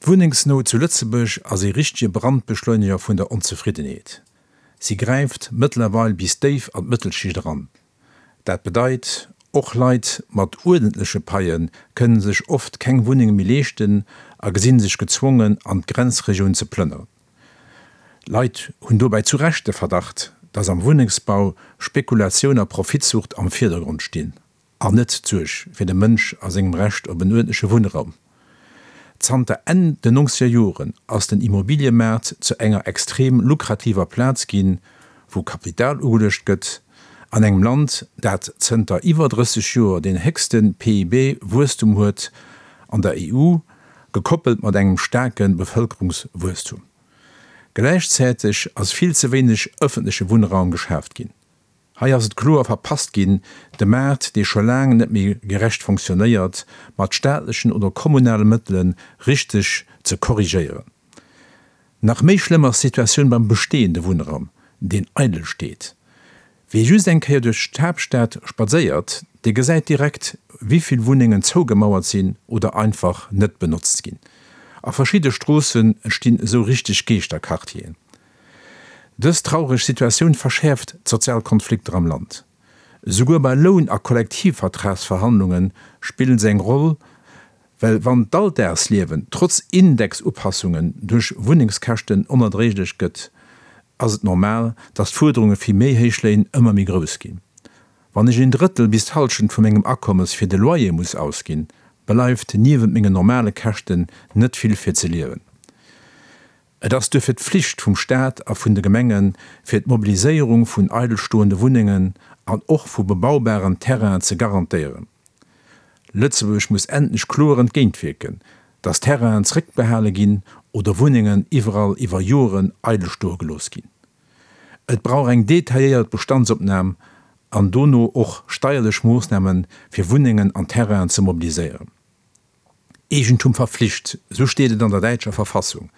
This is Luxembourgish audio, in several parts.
D'Wunnengsnout zu Lëtzebuerg ass ee richtege Brandbeschleuneger vun der Onzefriddenheet. Si gräift mëttlerweil bis déif an d'Mëttelschicht eran. Dat bedeit, och Leit mat uerdentleche Paie kënne sech oft keng Wunnenge méi leeschten a gesinn sech gezwongen an d'Grenzregioun ze plënneren. Leit hunn dobäi zu Recht de Verdacht, datt am Wunnengsbau Spekulatioun a Profitsucht am Virdergrond stinn. An net d'Suerg fir de Mënsch a sengem Recht op en uerdentleche Wunnraum. Zanter Enn den nongzeger Joren ass den Immobiliëmaart zu enger extrem lukrativer Plaz ginn, wou Kapital ugeluecht gëtt, an engem Land, dat zënter iwwer 30 Joer deen héchste PIB-Wuesstum huet an der EU, gekoppelt mat engem staarke Bevëlkerungswuesstum. Gläichzäiteg ass vill ze wéineg ëffentleche Wunnraum geschaaft ginn. Hei ass et kloer verpasst ginn, de Maart, dee scho laang net méi gerecht fonctionnéiert, mat staatlechen oder kommunale Mëttele richteg ze korrigéieren. Nach méi schlëmm ass d'Situatioun beim bestehende Wunnraum, deen eidel steet. Wie just eng Kéier duerch d'Haaptstad spadséiert, dee gesäit direkt, wéi vill Wunnengen zougemauert sinn oder einfach net benotzt ginn. A verschidde Stroossen entstinn esou richteg Geeschterquartieren. Dës traureg Situatioun verschäerft d'sozial Konflikter am Land. Esouguer bei Loun a Kollektivvertragsverhandlunge spillen se eng Roll, well wann d'Alldagsliewen trotz Indexupassungen duerch Wunnengskäschten onerdréiglech gëtt, ass et normal, datt d'Fuerderunge fir méi héich Léin ëmmer méi grouss ginn. Wann ech een Drëttel bis d'Hallschent vu mengem Akommes fir de Loyer muss ausginn, bleift niewent mengen normale Käschten net vill fir ze liewen. Et ass duerfir d'Pflicht vum Staat a vun de Gemengen, fir d'Mobiliséierung vun eidelstoende Wunnengen an och vu bebaubaren Terrainen ze garantéieren. Lëtzebuerg muss endlech kloer entgéintwierken, dass Terrainen zréckbehale ginn oder Wunnengen iwwerall iwwer Joren eidel stoe gelooss ginn. Et brauch eng detailléiert Bestandsopnam an dono och steierlech Moossnamen, fir Wunnengen an Terrainen ze mobiliséieren. Eegentum verflicht, esou steet et an der däitscher Verfassung.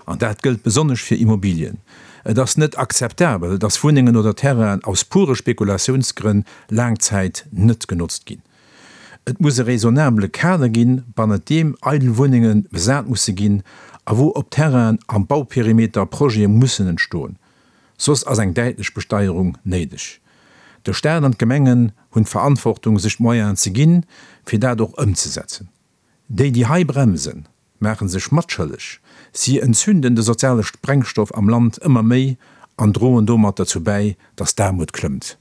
An dat gëllt besonnesch fir Immobilien. Et ass net akzeptabel, datt Wunnengen oder Terrainen aus pure Spekulatiounsgrënn laang Zäit net genotzt ginn. Et muss e raisonnabele Kader ginn, bannert deem eidel Wunnenge besat musse ginn a wou op Terrainen am Bauperimeter Projete mussen entstoen. Soss ass eng däitlech Besteierung néideg. De Staat an d'Gemengen hunn d'Verantwortung sech d'Moyenen ze ginn, fir dat och ëmzesetzen. Déi, déi hei bremsen, maache sech matschëlleg. Si entzünden de soziale Sprengstoff am Land ëmmer méi an droen domat derzou bäi, datt d'Aarmut klëmmt.